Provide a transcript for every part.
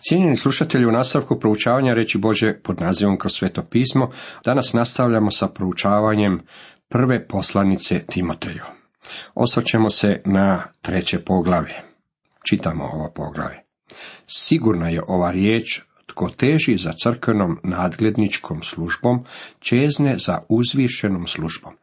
Cijenjeni slušatelji, u nastavku proučavanja riječi Božje pod nazivom Kroz sveto pismo, danas nastavljamo sa proučavanjem prve poslanice Timoteju. Osvrćemo se na 3. poglavlje. Čitamo ovo poglavlje. Sigurna je ova riječ, tko teži za crkvenom nadgledničkom službom, čezne za uzvišenom službom.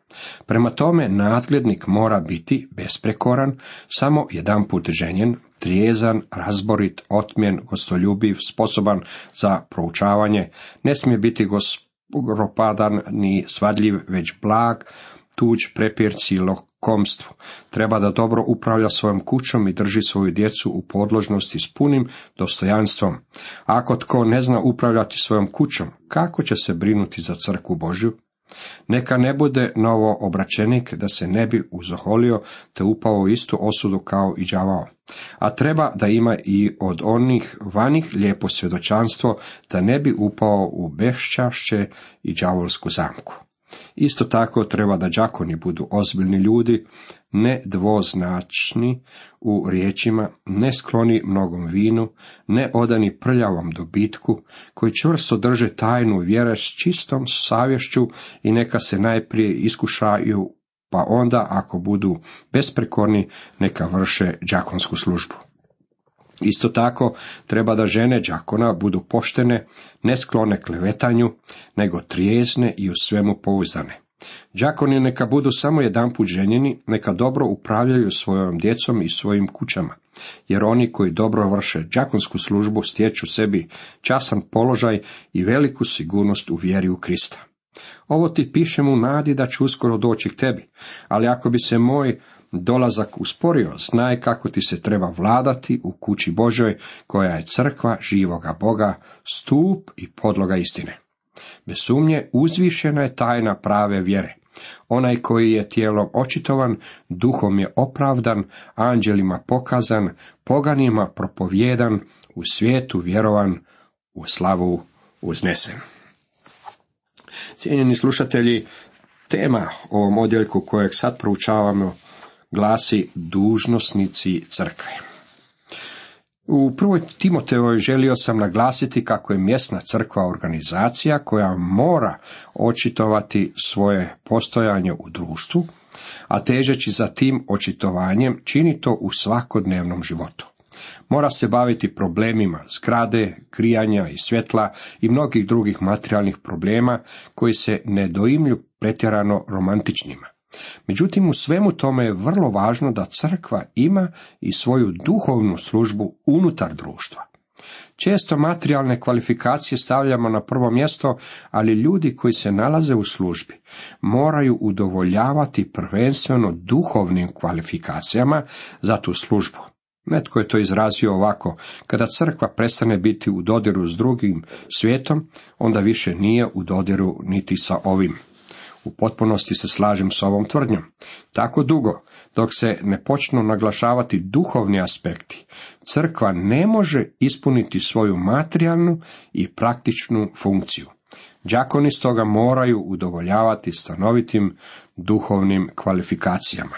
Prema tome, nadglednik mora biti besprekoran, samo jedanput ženjen, trijezan, razborit, otmjen, gostoljubiv, sposoban za proučavanje, ne smije biti gospopadan ni svadljiv, već blag, tuđ, prepirci i lokomstvu. Treba da dobro upravlja svojom kućom i drži svoju djecu u podložnosti s punim dostojanstvom. Ako tko ne zna upravljati svojom kućom, kako će se brinuti za crkvu Božju? Neka ne bude novo obraćenik da se ne bi uzoholio te upao u istu osudu kao i đavao. A treba da ima i od onih vanih lijepo svjedočanstvo da ne bi upao u beščašće i đavolsku zamku. Isto tako treba da đakoni budu ozbiljni ljudi, ne dvoznačni u riječima, ne skloni mnogom vinu, ne odani prljavom dobitku, koji čvrsto drže tajnu vjere s čistom savješću i neka se najprije iskušaju, pa onda ako budu besprekorni, neka vrše đakonsku službu. Isto tako treba da žene đakona budu poštene, ne sklone klevetanju, nego trijezne i u svemu pouzdane. Đakoni neka budu samo jedanput ženjeni, neka dobro upravljaju svojom djecom i svojim kućama, jer oni koji dobro vrše đakonsku službu stječu sebi časan položaj i veliku sigurnost u vjeri u Krista. Ovo ti pišem u nadi da ću uskoro doći k tebi, ali ako bi se moj dolazak usporio, znaj kako ti se treba vladati u kući Božoj, koja je crkva živoga Boga, stup i podloga istine. Bez sumnje uzvišena je tajna prave vjere. Onaj koji je tijelom očitovan, duhom je opravdan, anđelima pokazan, poganima propovjedan, u svijetu vjerovan, u slavu uznesen. Cijenjeni slušatelji, tema ovom odjeljku kojeg sad proučavamo glasi dužnosnici crkve. U 1. Timotejovoj želio sam naglasiti kako je mjesna crkva organizacija koja mora očitovati svoje postojanje u društvu, a težeći za tim očitovanjem čini to u svakodnevnom životu. Mora se baviti problemima zgrade, grijanja i svjetla i mnogih drugih materijalnih problema koji se ne doimlju pretjerano romantičnima. Međutim, u svemu tome je vrlo važno da crkva ima i svoju duhovnu službu unutar društva. Često materijalne kvalifikacije stavljamo na prvo mjesto, ali ljudi koji se nalaze u službi moraju udovoljavati prvenstveno duhovnim kvalifikacijama za tu službu. Netko je to izrazio ovako: kada crkva prestane biti u dodiru s drugim svijetom, onda više nije u dodiru niti sa ovim. U potpunosti se slažem s ovom tvrdnjom. Tako dugo, dok se ne počnu naglašavati duhovni aspekti, crkva ne može ispuniti svoju materijalnu i praktičnu funkciju. Đakoni stoga moraju udovoljavati stanovitim duhovnim kvalifikacijama.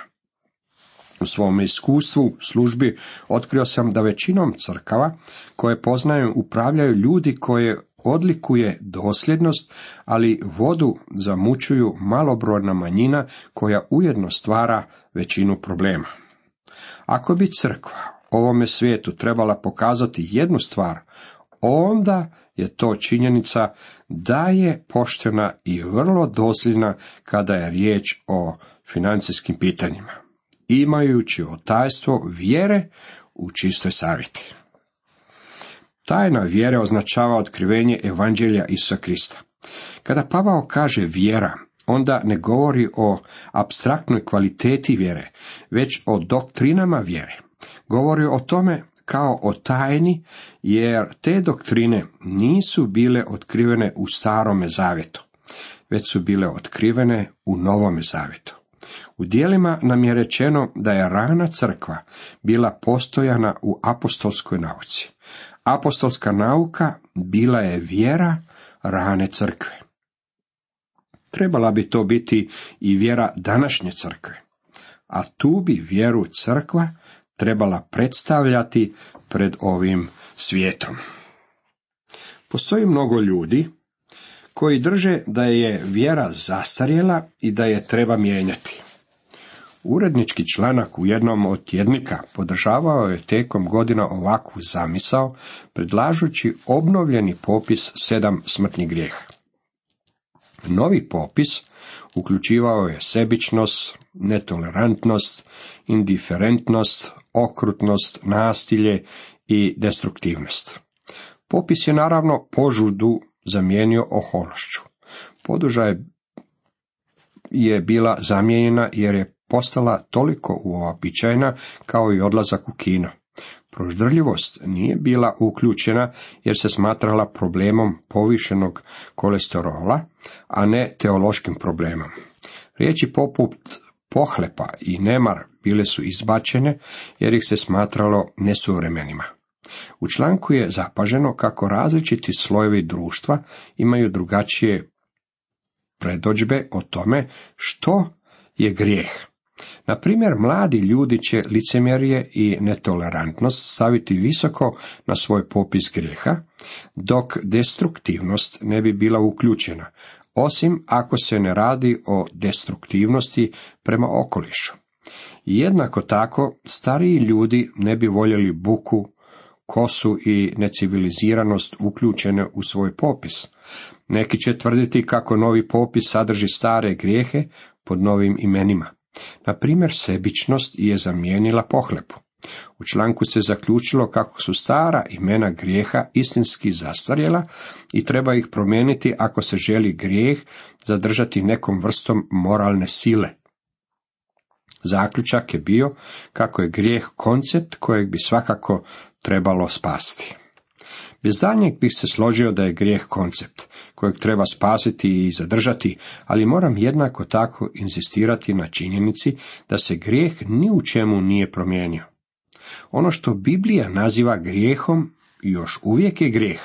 U svom iskustvu službi otkrio sam da većinom crkava koje poznajem upravljaju ljudi koje odlikuje dosljednost, ali vodu zamućuju malobrojna manjina koja ujedno stvara većinu problema. Ako bi crkva ovome svijetu trebala pokazati jednu stvar, onda je to činjenica da je poštena i vrlo dosljedna kada je riječ o financijskim pitanjima, imajući otajstvo vjere u čistoj savjeti. Tajna vjere označava otkrivenje evanđelja Isusa Krista. Kada Pavao kaže vjera, onda ne govori o apstraktnoj kvaliteti vjere, već o doktrinama vjere. Govori o tome kao o tajni, jer te doktrine nisu bile otkrivene u Starome zavjetu, već su bile otkrivene u Novome zavjetu. U djelima nam je rečeno da je rana crkva bila postojana u apostolskoj nauci. Apostolska nauka bila je vjera rane crkve. Trebala bi to biti i vjera današnje crkve, a tu bi vjeru crkva trebala predstavljati pred ovim svijetom. Postoji mnogo ljudi koji drže da je vjera zastarjela i da je treba mijenjati. Urednički članak u jednom od tjednika podržavao je tijekom godina ovakvu zamisao, predlažući obnovljeni popis 7 smrtnih grijeha. Novi popis uključivao je sebičnost, netolerantnost, indiferentnost, okrutnost, nasilje i destruktivnost. Popis je naravno požudu zamijenio ohološću. Poduža je bila zamijenjena jer je postala toliko uobičajena kao i odlazak u kino. Proždrljivost nije bila uključena jer se smatrala problemom povišenog kolesterola, a ne teološkim problemom. Riječi poput pohlepa i nemar bile su izbačene jer ih se smatralo nesuvremenima. U članku je zapaženo kako različiti slojevi društva imaju drugačije predodžbe o tome što je grijeh. Na primjer, mladi ljudi će licemjerje i netolerantnost staviti visoko na svoj popis grijeha, dok destruktivnost ne bi bila uključena, osim ako se ne radi o destruktivnosti prema okolišu. Jednako tako, stariji ljudi ne bi voljeli buku, kosu i neciviliziranost uključene u svoj popis. Neki će tvrditi kako novi popis sadrži stare grijehe pod novim imenima. Na primjer, sebičnost je zamijenila pohlepu. U članku se zaključilo kako su stara imena grijeha istinski zastarjela i treba ih promijeniti ako se želi grijeh zadržati nekom vrstom moralne sile. Zaključak je bio kako je grijeh koncept kojeg bi svakako trebalo spasiti. Bez daljnjeg bih se složio da je grijeh koncept kojeg treba spasiti i zadržati, ali moram jednako tako inzistirati na činjenici da se grijeh ni u čemu nije promijenio. Ono što Biblija naziva grijehom još uvijek je grijeh.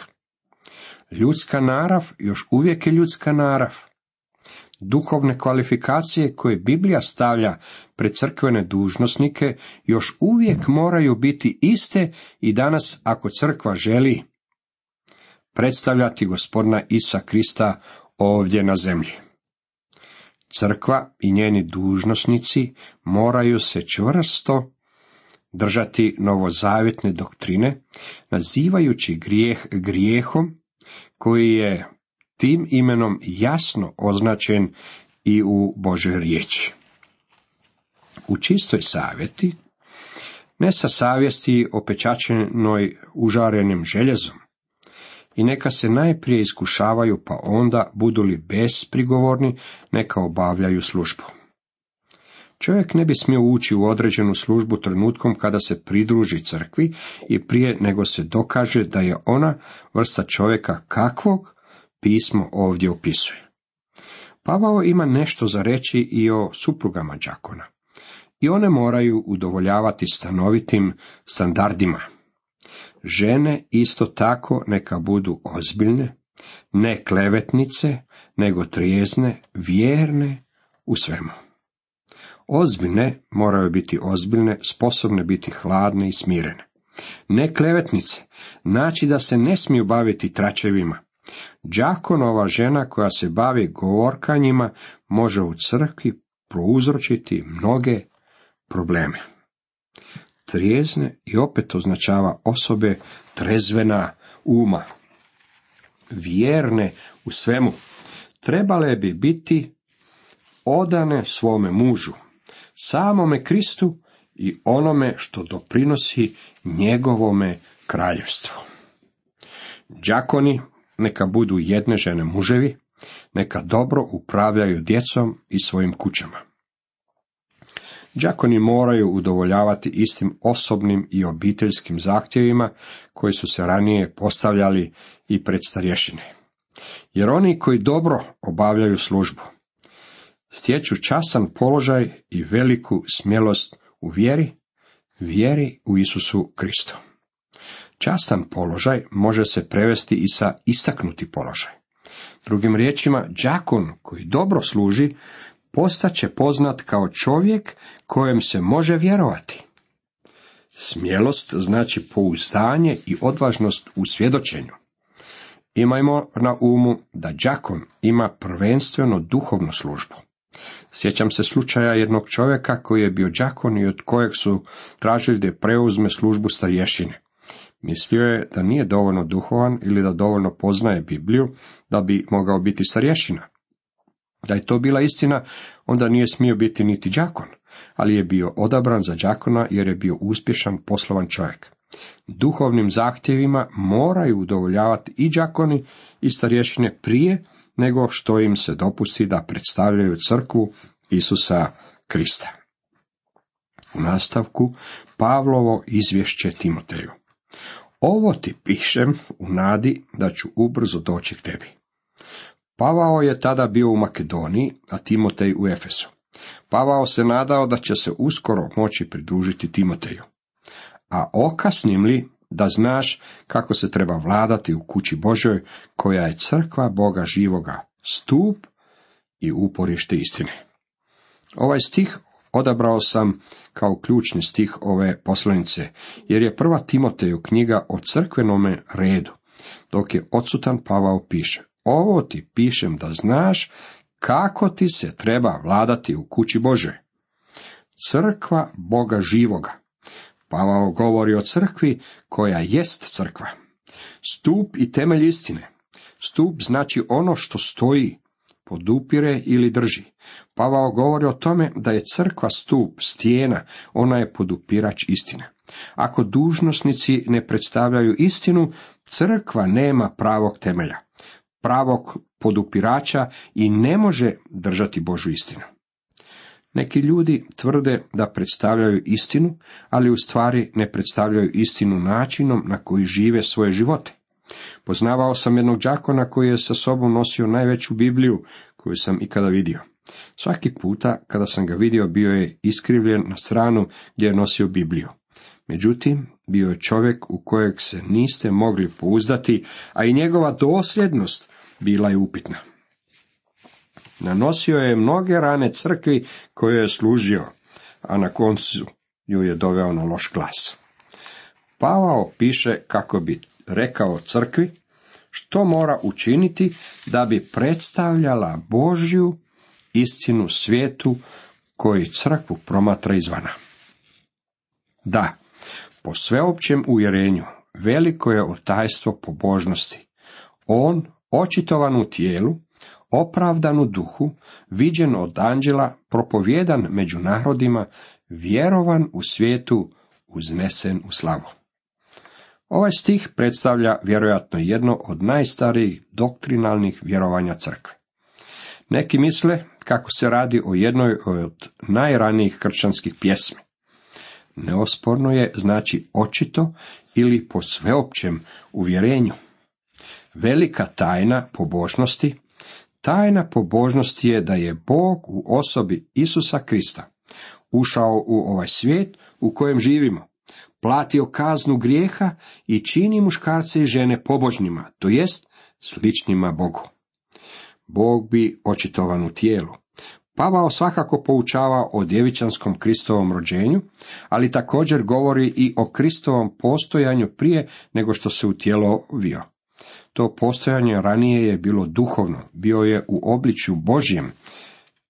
Ljudska narav još uvijek je ljudska narav. Duhovne kvalifikacije koje Biblija stavlja pred crkvene dužnosnike još uvijek moraju biti iste i danas ako crkva želi predstavljati Gospodina Isusa Krista ovdje na zemlji. Crkva i njeni dužnosnici moraju se čvrsto držati novozavjetne doktrine, nazivajući grijeh grijehom koji je tim imenom jasno označen i u Božoj riječi. U čistoj savjeti, ne sa savjesti opečaćenoj užarenim željezom, i neka se najprije iskušavaju, pa onda budu li besprigovorni, neka obavljaju službu. Čovjek ne bi smio ući u određenu službu trenutkom kada se pridruži crkvi i prije nego se dokaže da je ona vrsta čovjeka kakvog pismo ovdje opisuje. Pavao ima nešto za reći i o suprugama đakona. I one moraju udovoljavati stanovitim standardima. Žene isto tako neka budu ozbiljne, ne klevetnice, nego trijezne, vjerne u svemu. Ozbiljne moraju biti ozbiljne, sposobne biti hladne i smirene. Ne klevetnice, znači da se ne smiju baviti tračevima. Đakonova žena koja se bavi govorkanjima može u crkvi prouzročiti mnoge probleme. Trijezne i opet označava osobe trezvena uma. Vjerne u svemu. Trebale bi biti odane svome mužu, samome Kristu i onome što doprinosi njegovome kraljevstvu. Đakoni neka budu jedne žene muževi, neka dobro upravljaju djecom i svojim kućama. Đakoni moraju udovoljavati istim osobnim i obiteljskim zahtjevima koji su se ranije postavljali i pred starješine. Jer oni koji dobro obavljaju službu stječu častan položaj i veliku smjelost u vjeri u Isusu Kristu. Častan položaj može se prevesti i sa istaknuti položaj. Drugim riječima, đakon koji dobro služi postaće poznat kao čovjek kojem se može vjerovati. Smjelost znači pouzdanje i odvažnost u svjedočenju. Imajmo na umu da đakon ima prvenstveno duhovnu službu. Sjećam se slučaja jednog čovjeka koji je bio đakon i od kojeg su tražili da preuzme službu starješine. Mislio je da nije dovoljno duhovan ili da dovoljno poznaje Bibliju da bi mogao biti starješina. Da je to bila istina, onda nije smio biti niti đakon, ali je bio odabran za đakona jer je bio uspješan poslovan čovjek. Duhovnim zahtjevima moraju udovoljavati i đakoni i starješine prije nego što im se dopusti da predstavljaju crkvu Isusa Krista. U nastavku Pavlovo izvješće Timoteju. Ovo ti pišem u nadi da ću ubrzo doći k tebi. Pavao je tada bio u Makedoniji, a Timotej u Efesu. Pavao se nadao da će se uskoro moći pridružiti Timoteju. A okasnim li da znaš kako se treba vladati u kući Božoj, koja je crkva Boga živoga, stup i uporište istine. Ovaj stih odabrao sam kao ključni stih ove poslanice, jer je prva Timoteju knjiga o crkvenome redu, dok je odsutan Pavao piše, ovo ti pišem da znaš kako ti se treba vladati u kući Božoj. Crkva Boga živoga. Pavao govori o crkvi koja jest crkva. Stup i temelj istine. Stup znači ono što stoji, podupire ili drži. Pavao govori o tome da je crkva stup, stijena, ona je podupirač istine. Ako dužnosnici ne predstavljaju istinu, crkva nema pravog temelja, pravog podupirača i ne može držati Božju istinu. Neki ljudi tvrde da predstavljaju istinu, ali u stvari ne predstavljaju istinu načinom na koji žive svoje živote. Poznavao sam jednog đakona koji je sa sobom nosio najveću Bibliju koju sam ikada vidio. Svaki puta kada sam ga vidio bio je iskrivljen na stranu gdje je nosio Bibliju. Međutim, bio je čovjek u kojeg se niste mogli pouzdati, a i njegova dosljednost bila je upitna. Nanosio je mnoge rane crkvi koju je služio, a na koncu ju je doveo na loš glas. Pavao piše kako bi rekao crkvi što mora učiniti da bi predstavljala Božju istinu svijetu koji crkvu promatra izvana. Da, po sveopćem uvjerenju veliko je otajstvo pobožnosti. On, očitovan u tijelu, opravdan u duhu, viđen od anđela, propovjedan među narodima, vjerovan u svijetu, uznesen u slavu. Ovaj stih predstavlja vjerojatno jedno od najstarijih doktrinalnih vjerovanja crkve. Neki misle kako se radi o jednoj od najranijih kršćanskih pjesmi. Neosporno je znači očito ili po sveopćem uvjerenju. Velika tajna pobožnosti. Tajna pobožnosti je da je Bog u osobi Isusa Krista ušao u ovaj svijet u kojem živimo, platio kaznu grijeha i čini muškarce i žene pobožnima, to jest sličnima Bogu. Bog bi očitovan u tijelu. Pavao svakako poučava o djevičanskom Kristovom rođenju, ali također govori i o Kristovom postojanju prije nego što se u tijelo uvio. To postojanje ranije je bilo duhovno, bio je u obličju Božjem,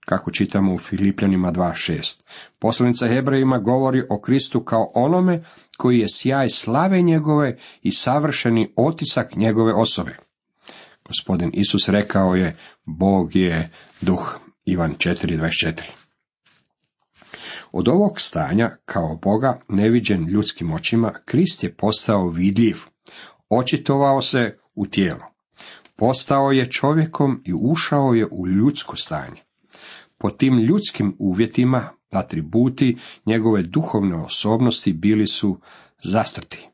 kako čitamo u Filipljanima 2.6. Poslanica Hebrejima govori o Kristu kao onome koji je sjaj slave njegove i savršeni otisak njegove osobe. Gospodin Isus rekao je, Bog je duh. Ivan 4.24. Od ovog stanja, kao Boga, neviđen ljudskim očima, Krist je postao vidljiv, očitovao se u tijelo. Postao je čovjekom i ušao je u ljudsko stanje. Po tim ljudskim uvjetima, atributi njegove duhovne osobnosti bili su zastrti.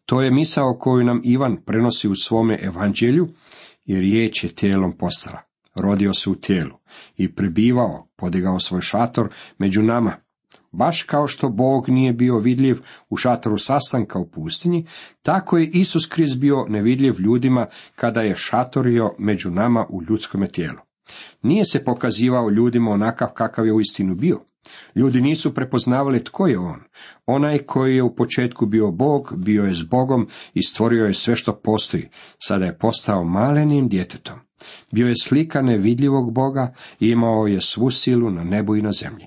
To je misao koju nam Ivan prenosi u svome evanđelju i riječ je tijelom postala. Rodio se u tijelu i prebivao, podigao svoj šator među nama. Baš kao što Bog nije bio vidljiv u šatoru sastanka u pustinji, tako je Isus Krist bio nevidljiv ljudima kada je šatorio među nama u ljudskome tijelu. Nije se pokazivao ljudima onakav kakav je uistinu bio. Ljudi nisu prepoznavali tko je on. Onaj koji je u početku bio Bog, bio je s Bogom i stvorio je sve što postoji. Sada je postao malenim djetetom. Bio je slika nevidljivog Boga i imao je svu silu na nebu i na zemlji.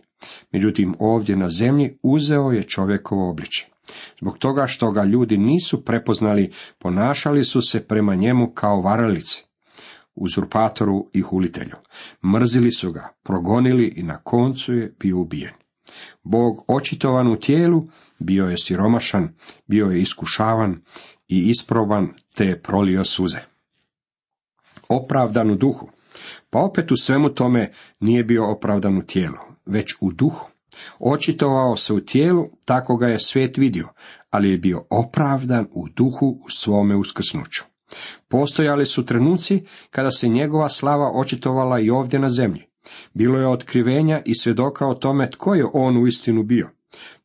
Međutim, ovdje na zemlji uzeo je čovjekovo obličje. Zbog toga što ga ljudi nisu prepoznali, ponašali su se prema njemu kao varalice, uzurpatoru i hulitelju. Mrzili su ga, progonili i na koncu je bio ubijen. Bog očitovan u tijelu bio je siromašan, bio je iskušavan i isproban, te je prolio suze. Opravdan u duhu. Pa opet u svemu tome nije bio opravdan u tijelu, već u duhu. Očitovao se u tijelu, tako ga je svijet vidio, ali je bio opravdan u duhu u svome uskrsnuću. Postojali su trenuci kada se njegova slava očitovala i ovdje na zemlji. Bilo je otkrivenja i svjedoka o tome tko je on uistinu bio.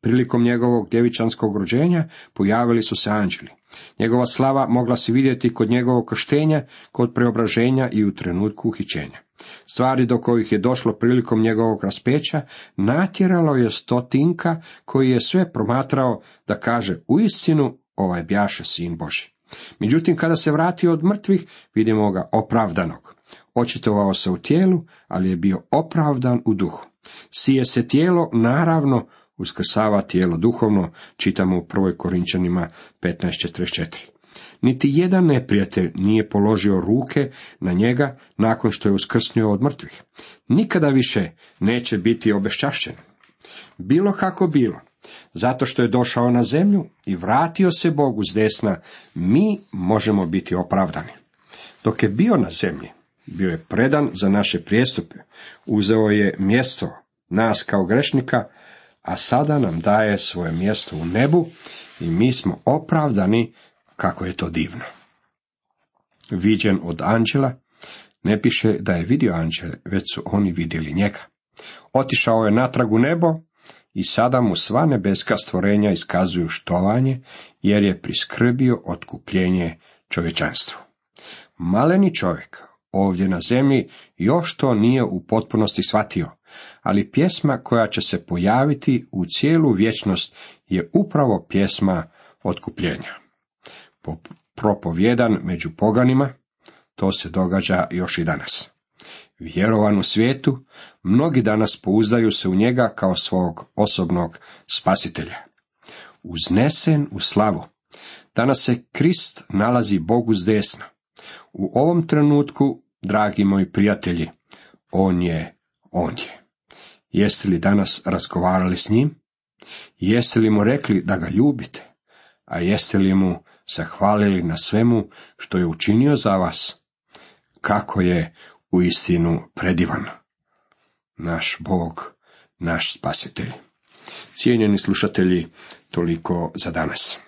Prilikom njegovog djevičanskog rođenja pojavili su se anđeli. Njegova slava mogla se vidjeti kod njegovog krštenja, kod preobraženja i u trenutku uhićenja. Stvari do kojih je došlo prilikom njegovog raspeća natjeralo je stotinka koji je sve promatrao da kaže uistinu ovaj bjaše sin Božji. Međutim, kada se vratio od mrtvih, vidimo ga opravdanog. Očitovao se u tijelu, ali je bio opravdan u duhu. Sije se tijelo, naravno, uskrsava tijelo duhovno, čitamo u 1. Korinčanima 15:44. Niti jedan neprijatelj nije položio ruke na njega nakon što je uskrsnio od mrtvih. Nikada više neće biti obeščašćen. Bilo kako bilo, zato što je došao na zemlju i vratio se Bogu s desna, mi možemo biti opravdani. Dok je bio na zemlji, bio je predan za naše prijestupe, uzeo je mjesto nas kao grešnika, a sada nam daje svoje mjesto u nebu i mi smo opravdani. Kako je to divno. Viđen od anđela, ne piše da je vidio anđele, već su oni vidjeli njega. Otišao je natrag u nebo i sada mu sva nebeska stvorenja iskazuju štovanje, jer je priskrbio otkupljenje čovječanstvu. Maleni čovjek ovdje na zemlji još to nije u potpunosti shvatio, ali pjesma koja će se pojaviti u cijelu vječnost je upravo pjesma otkupljenja. Propovjedan među poganima, to se događa još i danas. Vjerovan u svijetu, mnogi danas pouzdaju se u njega kao svog osobnog spasitelja. Uznesen u slavu, danas se Krist nalazi Bogu s desna. U ovom trenutku, dragi moji prijatelji, on je. Jeste li danas razgovarali s njim? Jeste li mu rekli da ga ljubite? A jeste li mu zahvalili na svemu što je učinio za vas? Kako je uistinu predivan naš Bog, naš spasitelj. Cijenjeni slušatelji, toliko za danas.